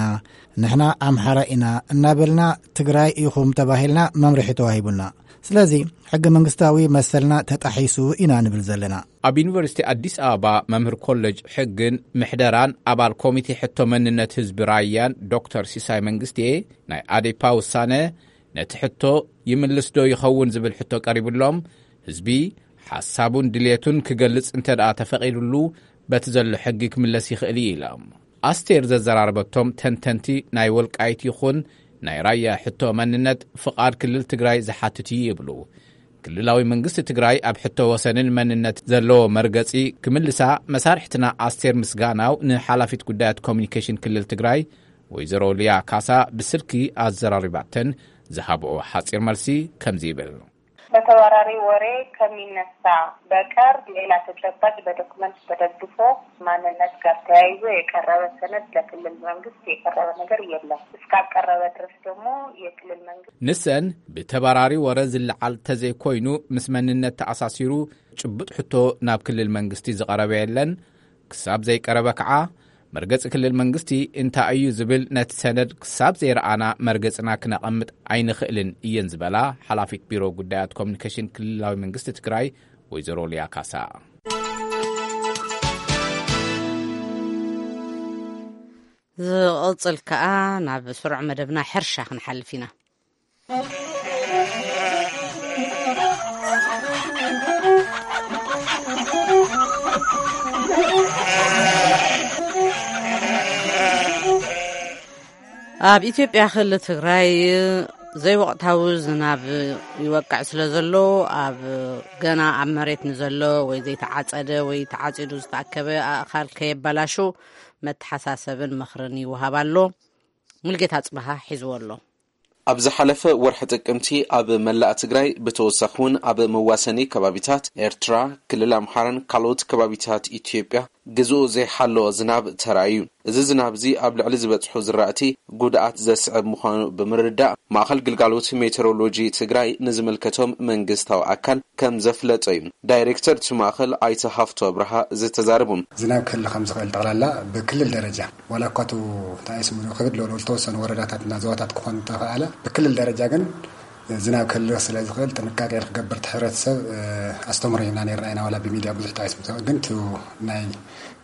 ንሕና ኣምሓራ ኢና እናበልና ትግራይ ኢኹም ተባሂልና መምርሒ ተዋሂቡና። ስለዚ ሕገ መንግስታዊ መሰልና ተጣሒሱ ኢና ንብል ዘለና። ኣብ ዩኒቨርሲቲ ኣዲስ ኣበባ መምህር ኮሌጅ ሕግን ምሕደራን ኣባል ኮሚቴ ሕቶ መንነት ህዝቢ ራያን ዶክተር ሲሳይ መንግስቴ፣ ናይ ኣዴፓ ውሳነ ነቲ ሕቶ ይምልስ ዶ ይኸውን ዝብል ሕቶ ቀሪብሎም፣ ህዝቢ ሓሳቡን ድልየቱን ክገልጽ እንተ ደኣ ተፈቒዱሉ በቲ ዘሎ ሕጊ ክምለስ ይኽእል እዩ ኢሎም። ኣስቴር ዘዘራረበቶም ተንተንቲ ናይ ወልቃይት ይኹን ናይ ራያ ሕቶ መንነት ፍቓድ ክልል ትግራይ ዝሓትት እዩ ይብሉ። ክልላዊ መንግስቲ ትግራይ ኣብ ሕቶ ወሰንን መንነት ዘለዎ መርገጺ ክምልሳ መሳርሕትና ኣስቴር ምስጋናው ንሓላፊት ጉዳያት ኮሚኒኬሽን ክልል ትግራይ ወይዘሮ ሊያ ካሳ ብስልኪ ኣዘራሪባተን ዝሃብኦ ሓጺር መልሲ ከምዚ ይብል። በተባራሪ ወሬ ከሚነሳ በቀር ሌላ ተጨባጭ በዶክመንት ተደግፎ ማንነት ጋር ተያይዞ የቀረበ ሰነድ ለክልል መንግስት የቀረበ ነገር የለም። እስካልቀረበ ድረስ ደግሞ የክልል መንግስት ንሰን ብተባራሪ ወረ ዝለዓል ተዘይኮይኑ ምስ መንነት ተኣሳሲሩ ጭቡጥ ሕቶ ናብ ክልል መንግስቲ ዝቐረበ የለን። ክሳብ ዘይቀረበ ከዓ መርገፂ ክልል መንግስቲ እንታይ እዩ ዝብል ነቲ ሰነድ ክሳብ ዘይረኣና መርገፅና ክነቐምጥ ኣይንኽእልን እየን ዝበላ ሓላፊት ቢሮ ጉዳያት ኮሚኒኬሽን ክልላዊ መንግስቲ ትግራይ ወይዘሮ ሊያ ካሳ። ዝቕጽል ከኣ ናብ ስሩዕ መደብና ሕርሻ ክንሓልፍ ኢና። ኣብ ኢትዮጵያ ክልል ትግራይ ዘይወቕታዊ ዝናብ ይወቅዕ ስለ ዘሎ፣ ኣብ ገና ኣብ መሬት ንዘሎ ወይ ዘይተዓጸደ ወይ ተዓጺዱ ዝተኣከበ ኣእኻል ከየበላሹ መተሓሳሰብን ምኽርን ይወሃብ ኣሎ። ሙልጌታ ጽበሃ ሒዝዎ ኣሎ። ኣብ ዝሓለፈ ወርሒ ጥቅምቲ ኣብ መላእ ትግራይ፣ ብተወሳኺ እውን ኣብ መዋሰኒ ከባቢታት ኤርትራ፣ ክልል ኣምሓራን ካልኦት ከባቢታት ኢትዮጵያ ግዝኡ ዘይሓለወ ዝናብ ተራእዩ። እዚ ዝናብ እዚ ኣብ ልዕሊ ዝበጽሑ ዝራእቲ ጉድኣት ዘስዕብ ምዃኑ ብምርዳእ፣ ማእኸል ግልጋሎት ሜትሮሎጂ ትግራይ ንዝምልከቶም መንግስታዊ ኣካል ከም ዘፍለጠ እዩ ዳይሬክተር እቲ ማእኸል ኣይተ ሃፍቶ ኣብርሃ ዝተዛረቡ። ዝናብ ክህሉ ከም ዝኽእል ጠቕላላ ብክልል ደረጃ፣ ዋላ እኳ እቲ እንታይ ስሙ ክብድ ዝበሉ ዝተወሰኑ ወረዳታትና ዞባታት ክኾን እንተኸኣለ፣ ብክልል ደረጃ ግን ዝናብ ክህልኽ ስለ ዝኽእል ጥንቃቄ ክገብር እቲ ሕብረተሰብ ኣስተምህሮ ሂብና ነርና ኢና። ዋላ ብሚድያ ብዙሕ ተኣይስምሰ ግን እቲ ናይ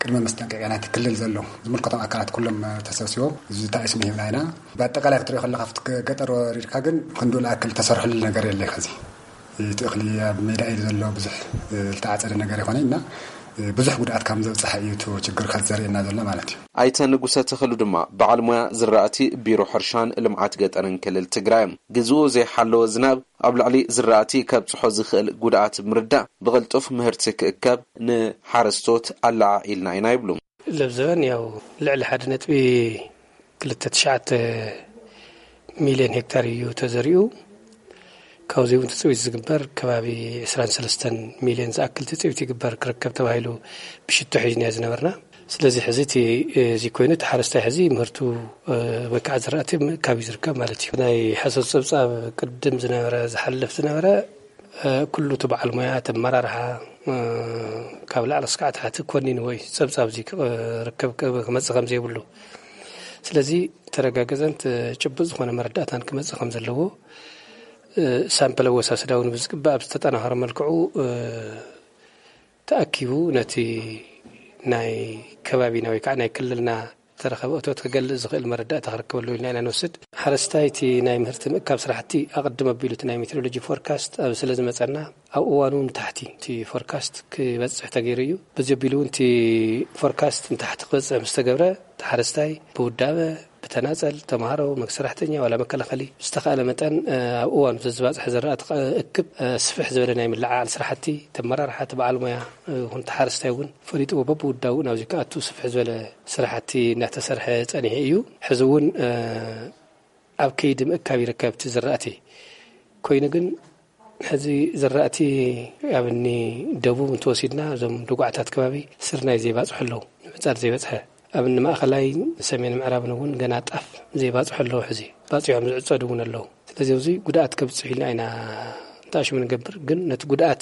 ቅድመ መስጠንቀቂያ ናይቲ ክልል ዘሎ ዝምልከቶም ኣካላት ኩሎም ተሰብሲቦም እዚ ተኣይስሙ ሂብና ኢና። ብኣጠቃላይ ክትሪኦ ከለካ ኣብቲ ገጠር ወሪድካ ግን ክንዱ ዝኣክል ተሰርሕሉ ነገር የለ። ከዚ እቲ እኽሊ ኣብ ሜዳ እዩ ዘሎ፣ ብዙሕ ዝተዓፀደ ነገር ይኮነ እና ብዙሕ ጉድኣት ከም ዘብፅሐ እዩ እቲ ችግር ከዘርእየና ዘሎ ማለት እዩ። ኣይተ ንጉሰ ተኽሉ ድማ በዓል ሞያ ዝራእቲ ቢሮ ሕርሻን ልምዓት ገጠርን ክልል ትግራይ እዮም። ግዝኡ ዘይሓለወ ዝናብ ኣብ ልዕሊ ዝራእቲ ከብፅሖ ዝኽእል ጉድኣት ብምርዳእ ብቕልጡፍ ምህርቲ ክእከብ ንሓረስቶት ኣለዓዒልና ኢና ይብሉ። ለብዘበን ያው ልዕሊ ሓደ ነጥቢ ክልተ ትሽዓተ ሚልዮን ሄክታር እዩ ተዘሪኡ። ካብዚ እውን ትፅቢት ዝግበር ከባቢ ዕስራን ሰለስተን ሚልዮን ዝኣክል ትፅቢት ይግበር ክርከብ ተባሂሉ ብሽቶ ሒዝናዮ ዝነበርና። ስለዚ ሕዚ እቲ እዚ ኮይኑ እቲ ሓረስታይ ሕዚ ምህርቱ ወይ ከዓ ዝራእቲ ምእካብ እዩ ዝርከብ ማለት እዩ። ናይ ሓሶት ፀብፃብ ቅድም ዝነበረ ዝሓልፍ ዝነበረ ኩሉ እቲ በዓል ሞያ እቲ ኣመራርሓ ካብ ላዕሊ እስካዕ ታሕቲ ኮኒንዎ እዩ ፀብፃብ እዚ ክርከብ ክመፅእ ከም ዘይብሉ። ስለዚ ተረጋገፀን ጭቡጥ ዝኾነ መረዳእታን ክመፅእ ከም ዘለዎ ሳምፕል ኣወሳስዳ እውን ብዝግባእ ኣብ ዝተጠናኸረ መልክዑ ተኣኪቡ ነቲ ናይ ከባቢና ወይ ከዓ ናይ ክልልና ዝተረኸበ እቶት ክገልፅ ዝኽእል መረዳእታ ክርከብ ኣለዎ ኢልና ኢና ንወስድ። ሓረስታይ እቲ ናይ ምህርቲ ምእካብ ስራሕቲ ኣቐድም ኣቢሉ እቲ ናይ ሜትሮሎጂ ፎርካስት ኣብ ስለ ዝመፀና ኣብ እዋኑ ንታሕቲ እቲ ፎርካስት ክበፅሕ ተገይሩ እዩ። በዚ ኣቢሉ እውን እቲ ፎርካስት ንታሕቲ ክበፅሕ ምስ ተገብረ እቲ ሓረስታይ ብውዳበ ብተናፀል ተምሃሮ፣ መግ ሰራሕተኛ ዋላ መከላኸሊ ዝተኻእለ መጠን ኣብ እዋኑ ዘዝባፅሐ ዘራእቲ እክብ ስፍሕ ዝበለ ናይ ምልዓዓል ስራሕቲ ተመራርሓ ተበዓል ሞያ ይኹን ተሓረስታይ እውን ፈሊጥዎ በብውዳቡ ናብዚ ክኣቱ ስፍሕ ዝበለ ስራሕቲ እናተሰርሐ ጸኒሑ እዩ። ሕዚ እውን ኣብ ከይዲ ምእካብ ይርከብ እቲ ዝራእቲ። ኮይኑ ግን ሕዚ ዝራእቲ ኣብ እኒ ደቡብ እንተወሲድና እዞም ደጉዓታት ከባቢ ስርናይ ዘይባፅሑ ኣለዉ፣ ንምዕፃድ ዘይበፅሐ። ኣብ እኒ ማእኸላይ ሰሜን ምዕራብን እውን ገና ጣፍ ዘይባፅሑ ኣለዉ። ሕዚ ባፂሖም ዝዕፀዱ እውን ኣለዉ። ስለዚ ኣብዚ ጉድኣት ከብፅሕ ኢልና ኢና እንተኣሽሙ ንገብር፣ ግን ነቲ ጉድኣት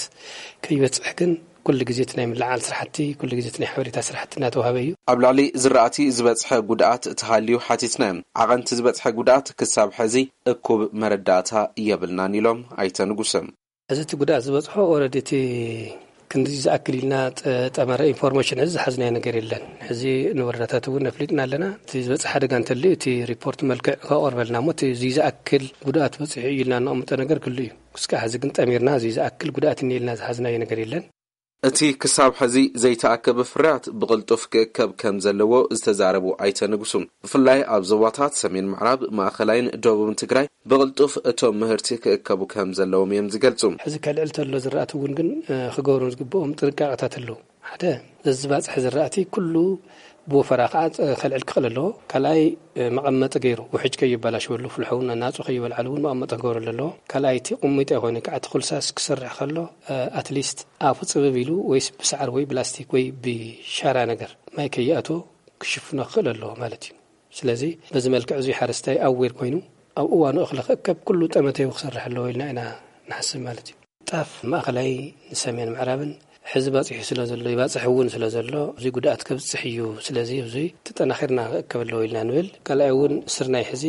ከይበፅሕ ግን ኩሉ ግዜ እቲ ናይ ምልዓል ስራሕቲ፣ ኩሉ ግዜ እቲ ናይ ሓበሬታ ስራሕቲ እናተዋሃበ እዩ። ኣብ ልዕሊ ዝራእቲ ዝበፅሐ ጉድኣት ተሃልዩ ሓቲትና። ዓቐንቲ ዝበፅሐ ጉድኣት ክሳብ ሕዚ እኩብ መረዳእታ የብልናን ኢሎም ኣይተ ንጉሰ። እዚ እቲ ጉድኣት ዝበፅሖ ኦረዲ እቲ ክንዲ ዝኣክል ኢልና ጠ-፣ ጠመረ ኢንፎርሜሽን እዚ ዝሓዝናዮ ነገር የለን። ሕዚ ንወረዳታት እውን ኣፍሊጥና ኣለና። እቲ ዝበፅሐ ሓደጋ እንተልዩ እቲ ሪፖርት መልክዕ ከቐርበልና እሞ እቲ እዚ ዝኣክል ጉድኣት በፂሑ እዩ ኢልና ነቐምጦ ነገር ክሉ እዩ። ክስካ ሕዚ ግን ጠሚርና እዚ ዝኣክል ጉድኣት እኒኤ ኢልና ዝሓዝናዮ ነገር የለን። እቲ ክሳብ ሕዚ ዘይተኣከበ ፍርያት ብቕልጡፍ ክእከብ ከም ዘለዎ ዝተዛረቡ ኣይተ ንጉሱ፣ ብፍላይ ኣብ ዞባታት ሰሜን ምዕራብ፣ ማእኸላይን ደቡብን ትግራይ ብቕልጡፍ እቶም ምህርቲ ክእከቡ ከም ዘለዎም እዮም ዝገልጹ። ሕዚ ከልዕል ተሎ ዝራእቲ እውን ግን፣ እ፣ ክገብሩ ዝግብኦም ጥንቃቐታት ኣለዉ። ሓደ፣ ዘዝባፅሐ ዝራእቲ ኩሉ ብወፈራ ከዓ ከልዕል ክኽእል ኣለዎ። ካልኣይ፣ መቐመጢ ገይሩ ውሕጅ ከይበላሸወሉ፣ ፍልሖ እውን ናፁ ከይበልዓሉ እውን መቐመጢ ክገብረሉ ኣለዎ። ካልኣይ፣ እቲ ቁሚጦ ይኾነ ከዓ እቲ ኩልሳስ ክሰርሕ ከሎ፣ ኣትሊስት ኣፉ ፅብብ ኢሉ ወይስ ብሳዕሪ ወይ ብላስቲክ ወይ ብሻራ ነገር ማይ ከይኣትዎ ክሽፍኖ ክኽእል ኣለዎ ማለት እዩ። ስለዚ በዚ መልክዕ እዚ ሓረስታይ ኣዌር ኮይኑ ኣብ እዋኑ እኽሊ ክእከብ ኩሉ ጠመተዩ ክሰርሕ ኣለዎ ኢልና ኢና ንሓስብ ማለት እዩ። ጣፍ ማእኸላይ ንሰሜን ምዕራብን ሕዚ ባፂሑ ስለ ዘሎ፣ ይባፅሕ እውን ስለ ዘሎ፣ እዚ ጉድኣት ከብፅሕ እዩ። ስለዚ እዚ ተጠናኺርና ክእከብ ኣለዎ ኢልና ንብል። ካልኣይ እውን ስርናይ ሕዚ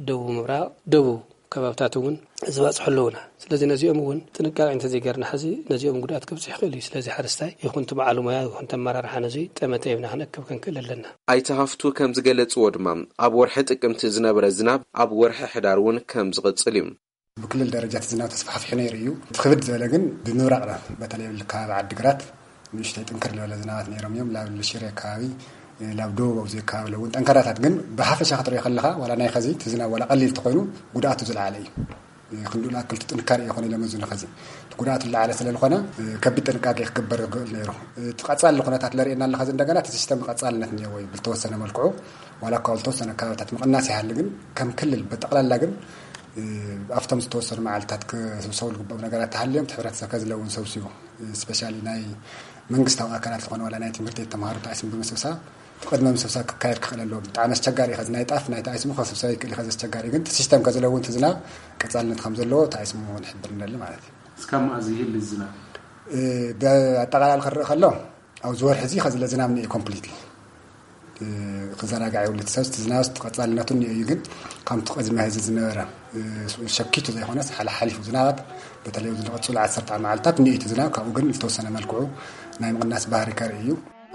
ደቡብ ምብራቕ፣ ደቡብ ከባብታት እውን ዝባፅሑ ኣለዉና። ስለዚ ነዚኦም እውን ጥንቃቄ እንተዘይገርና ሕዚ ነዚኦም ጉድኣት ከብፅሕ ይኽእል እዩ። ስለዚ ሓረስታይ ይኹን እቲ በዓል ሞያ ይኹን እቲ ኣመራርሓ ነዚ ጠመተ ሂብና ክንእከብ ክንክእል ኣለና። ኣይተ ሃፍቱ ከም ዝገለፅዎ ድማ ኣብ ወርሒ ጥቅምቲ ዝነበረ ዝናብ ኣብ ወርሒ ሕዳር እውን ከም ዝቕፅል እዩ። ብክልል ደረጃ እቲ ዝናብ ተስፋሕፊሑ ነይሩ እዩ። እቲ ክብድ ዝበለ ግን ብምብራቕ፣ በተለይ ኣብ ከባቢ ዓዲግራት ንእሽተይ ጥንክር ዝበለ ዝናባት ነይሮም እዮም። ላብ ሽረ ከባቢ፣ ላብ ደቡብ ኣብዚ ከባቢ ኣለውን ጠንካራታት፣ ግን ብሓፈሻ ክትሪኦ ከለኻ ዋላ ናይ ኸዚ እቲ ዝናብ ዋላ ቀሊል እንተኾይኑ ጉድኣቱ ዝለዓለ እዩ። ክንዱ ዝኣክል እቲ ጥንካሬ ይኾነ ኢሎም እዚ ንኸዚ እቲ ጉድኣቱ ዝለዓለ ስለ ዝኾነ ከቢድ ጥንቃቄ ክግበር ዝኽእል ነይሩ። እቲ ቀጻሊ ኩነታት ለርእየና ኣሎ። ኸዚ እንደገና እቲ ሲስተም ቀጻልነት እኒአዎ እዩ። ብልተወሰነ መልክዑ ዋላ እኳ ብልተወሰነ ከባብታት ምቕናስ ይሃሊ፣ ግን ከም ክልል ብጠቕላላ ግን ኣብቶም ዝተወሰኑ መዓልታት ክስብሰቡ ዝግብኦም ነገራት ተሃልዮም እቲ ሕብረተሰብ ከዝለውን ሰብሲቡ፣ ስፔሻሊ ናይ መንግስታዊ ኣካላት ዝኾነ ዋላ ናይ ትምህርቲ ቤት ተምሃሮ ተኣይስም ብምስብሳብ እቲ ቅድመ ምስብሳብ ክካየድ ክኽእል ኣለዎ። ብጣዕሚ ኣስቸጋሪ እዩ። ከዚ ናይ ጣፍ ናይቲ ኣይስሙ ከስብሰብ ይክእል እዩ። ከዚ ኣስቸጋሪ እዩ። ግን እቲ ሲስተም ከዝለውን እቲ ዝናብ ቀጻልነት ከም ዘለዎ ተኣይስሙ ንሕብር ንደሊ ማለት እዩ። እስካብ መኣዝ ይህል ዝናብ? እ፣ ብኣጠቓላሊ ክረእ ከሎ ኣብዚ ወርሒ እዚ ከዚ ለዝናብ ንኤ ኮምፕሊትሊ ክዘናጋዕ የብሉ። እቲ ሰብ እቲ ዝናብ ቀጻልነቱ እኒኦ እዩ። ግን ከምቲ ቅድሚ ሕዚ ዝነበረ እ፣ ሸኪቱ ዘይኮነስ ሓለ ሓሊፉ ዝናባት በተለይ ኣብዚ ዝቐጽሉ ዓሰርተ መዓልታት እኒኦ እቲ ዝናብ። ካብኡ ግን ዝተወሰነ መልክዑ ናይ ምቕናስ ባህሪ ከርኢ እዩ።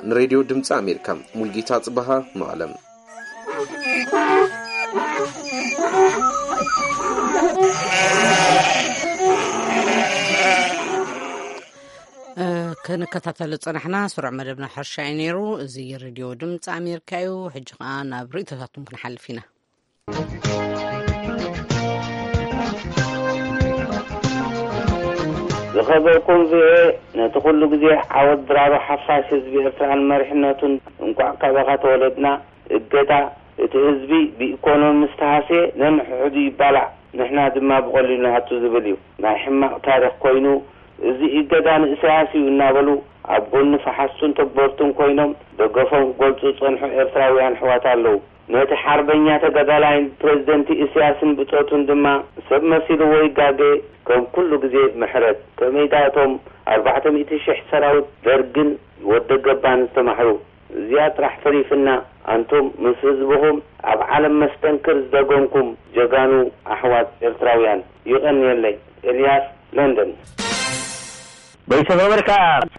ንሬድዮ ድምፂ ኣሜሪካ ሙልጌታ ጽበሃ መቐለም። እ፣ ክንከታተል ዝጸናሕና ስሩዕ መደብና ሕርሻ እዩ ነይሩ። እዚ ሬድዮ ድምፂ ኣሜሪካ እዩ። ሕጂ ኸኣ ናብ ርእይቶታትኩም ክንሓልፍ ኢና። ዝኸበርኩም ቪኦኤ፣ ነቲ ኩሉ ግዜ ዓወት ድራሩ ሓፋሽ ህዝቢ ኤርትራን መሪሕነቱን፣ እንቋዕ ካባኻ ተወለድና። እገዳ እቲ ህዝቢ ብኢኮኖሚ ምስ ተሃስየ ነንሕድሕዱ ይባላዕ፣ ንሕና ድማ ብቐሊሉ ንኣቱ ዝብል እዩ። ናይ ሕማቕ ታሪኽ ኮይኑ፣ እዚ እገዳ ንእሰያስ እዩ እናበሉ ኣብ ጎኒ ፈሓስቱን ተግበርቱን ኮይኖም ደገፎም ክገልጹ ዝጸንሑ ኤርትራውያን ኣሕዋት ኣለዉ። ነቲ ሓርበኛ ተጋዳላይን ፕረዚደንት ኢሳያስን ብጾቱን ድማ ሰብ መሲልዎ ይጋገ። ከም ኩሉ ግዜ ምሕረት። ከመይ ደኣ እቶም ኣርባዕተ ሚእቲ ሽሕ ሰራዊት ደርግን ወደ ገባን ዝተማሕሩ። እዚኣ ጥራሕ ተሪፍና፣ ኣንቱም ምስ ህዝብኹም ኣብ ዓለም መስተንክር ዝደገምኩም ጀጋኑ ኣሕዋት ኤርትራውያን። ይቐንየለይ። ኤልያስ፣ ለንደን። ቮይስ ኦፍ ኣሜሪካ፣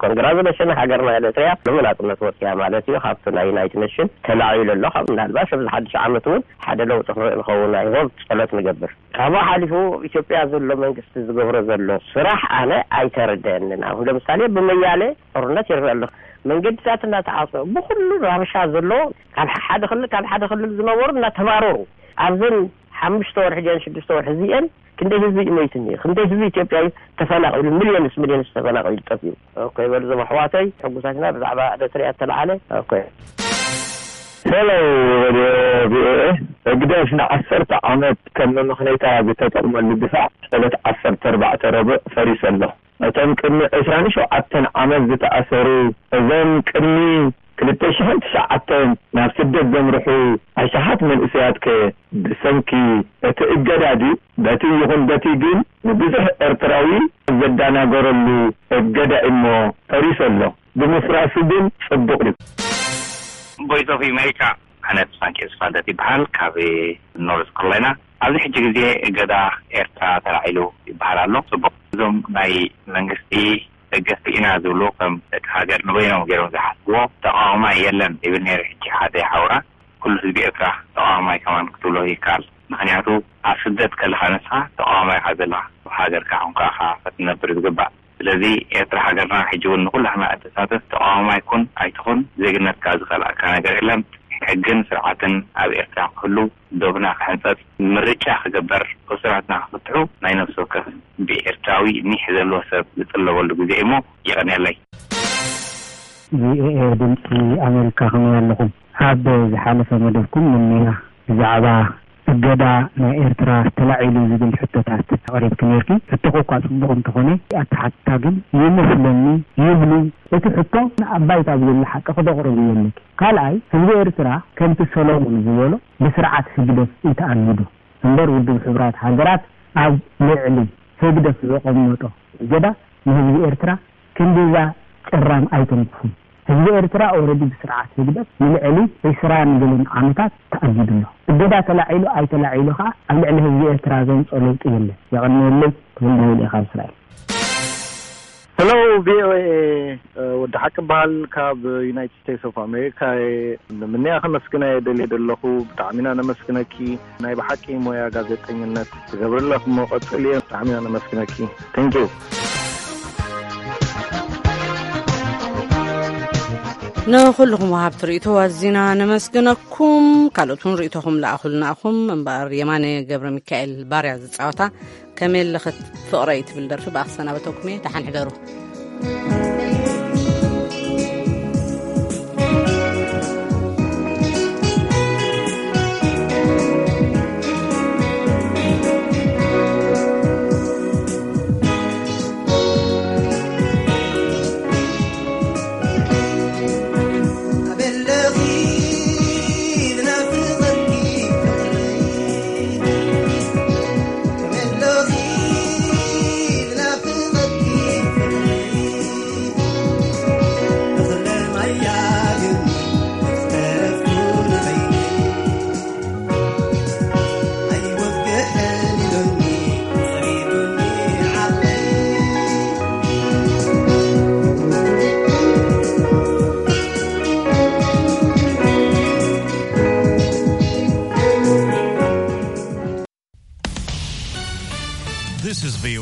ኮንግራጁሌሽን፣ ሃገርና ኤሪትሪያ ሎሚ ናጽነት ወጽያ ማለት እዩ። ካብቲ ናይ ዩናይትድ ኔሽን ተላዒሉ ኣሎ። ካብ ምናልባሽ ኣብዚ ሓድሽ ዓመት እውን ሓደ ለውጢ ክንርኢ ንኸውን። ኣይ ሆፕ፣ ጸሎት ንገብር። ካብኡ ሓሊፉ ኢትዮጵያ ዘሎ መንግስቲ ዝገብሮ ዘሎ ስራሕ ኣነ ኣይተረደአንን። ኣሁን ለምሳሌ ብመያሌ ጦርነት ይርኢ ኣሎ። መንገድታት እናተዓጸ ብኩሉ ራብሻ ዘሎ ካብ ሓደ ክልል ካብ ሓደ ክልል ዝነበሩ እናተባረሩ ኣብዘን ሓሙሽተ ወርሒ ድየን ሽዱሽተ ወርሒ እዚአን ክንደይ ህዝቢ እዩ ሞይቱ እኒኦ? ክንደይ ህዝቢ ኢትዮጵያ እዩ ተፈናቒሉ? ሚልዮንስ ሚልዮንስ ተፈናቒሉ ጠፊኡ። ኦኬ በሉ እዞም ኣሕዋተይ ሕጉሳት ኢና ብዛዕባ ኤሪትሪያ እተለዓለ። ኦኬ። ሄሎ ሬድዮ ቪኦኤ፣ ህግደፍ ንዓሰርተ ዓመት ከም መመኽነይታ ዝተጠቕመሉ ድፋዕ ዕለት ዓሰርተ ኣርባዕተ ረቡዕ ፈሪሱ ኣሎ። እቶም ቅድሚ ዕስራን ሸውዓተን ዓመት ዝተኣሰሩ፣ እዞም ቅድሚ ክልተ ሽሕን ትሽዓተን ናብ ስደት ዘምርሑ ኣሽሓት መንእሰያትከ ብሰንኪ እቲ እገዳ ድዩ? በቲ ይኹን በቲ ግን ንብዙሕ ኤርትራዊ ዘደናገረሉ እገዳ እሞ ፈሪሱ ኣሎ። ብምፍራሱ ግን ጽቡቕ ድዩ? ቮይስ ኦፍ ኣሜሪካ፣ ኣነ ተስፋንኪኤል ስፋልደት ይበሃል፣ ካብ ኖርዝ ካሮላይና። ኣብዚ ሕጂ ግዜ እገዳ ኤርትራ ተላዒሉ ይበሃል ኣሎ። ጽቡቕ። እዞም ናይ መንግስቲ ደገፍቲ ኢና ዝብሉ፣ ከም ደቂ ሃገር ንበይኖም ገይሮም ዝሓስብዎ፣ ተቃዋማይ የለን ይብል ነይሩ። ሕጂ ሓደ ሓውራ፣ ኩሉ ህዝቢ ኤርትራ ተቃዋማይ ከማን ክትብሎ ይከኣል። ምኽንያቱ ኣብ ስደት ከለኻ ንስኻ ተቃዋማይ ኢኻ ዘለኻ፣ ኣብ ሃገርካ ኮንካ ኢኻ ክትነብር ዝግባእ። ስለዚ ኤርትራ ሃገርና ሕጂ እውን ንኩላህና እተሳትፍ፣ ተቃዋማይ ኩን ኣይትኹን፣ ዜግነትካ ዝኸልኣካ ነገር የለን። ሕግን ስርዓትን ኣብ ኤርትራ ክህሉ፣ ዶብና ክሕንጸጽ፣ ምርጫ ክግበር፣ እሱራትና ክፍትሑ፣ ናይ ነፍሲ ወከፍ ብኤርትራዊ ኒሕ ዘለዎ ሰብ ዝጥለበሉ ግዜ እዩሞ፣ የቐንየለይ። ቪኦኤ ድምፂ ኣሜሪካ፣ ከመይ ኣለኹም? ኣብ ዝሓለፈ መደብኩም ንኒና ብዛዕባ እገዳ ናይ ኤርትራ ተላዒሉ ዝብል ሕቶታት ኣቕሪብኪ ነይርኪ። ሕቶኺ እኳ ጽቡቕ እንተኾነ፣ ኣተሓትታ ግን ይመስለኒ ይብሉ። እቲ ሕቶ ንኣባይታ ብዘሎ ሓቂ ክተቕርብዮ ኣለኪ። ካልኣይ፣ ህዝቢ ኤርትራ ከምቲ ሰሎሞን ዝበሎ ብስርዓት ህግደፍ እዩ ተኣጊዱ እምበር፣ ውድብ ሕቡራት ሃገራት ኣብ ልዕሊ ህግደፍ ዘቐመጦ እገዳ ንህዝቢ ኤርትራ ክንድዛ ጭራም ኣይተንክፉን። ህዝቢ ኤርትራ ኦረዲ ብስርዓት ህግደፍ ንልዕሊ ዒስራን ገለን ዓመታት ተኣጊዱ ኣሎ። እገዳ ተላዒሉ ኣይተላዒሉ ከኣ ኣብ ልዕሊ ህዝቢ ኤርትራ ዘምጾ ለውጢ የለን። የቐንየለይ። ተወልደ ወልደ ካብ እስራኤል። ሄሎ ቪኦኤ፣ ወዲ ሓቂ በሃል ካብ ዩናይትድ ስቴትስ ኦፍ ኣሜሪካ እየ። ንምንያ ከመስግና እየ ደልየ ዘለኹ። ብጣዕሚ ኢና ነመስግነኪ። ናይ ብሓቂ ሞያ ጋዜጠኝነት ትገብሪ ኣለኺ እሞ ቀጽልዮ። ብጣዕሚ ኢና ነመስግነኪ። Thank you። ንኹልኹም ወሃብቲ ርእይቶ ኣዚና ነመስግነኩም። ካልኦት እውን ርእይቶኹም ለኣኹልና ኢኹም። እምበኣር የማነ ገብረ ሚካኤል ባርያ ዝጻወታ ከመይ ኣለኽት ፍቕረይ ትብል ደርፊ ብኣኽሰናበተኩም እየ። ደሓን ሕደሩ።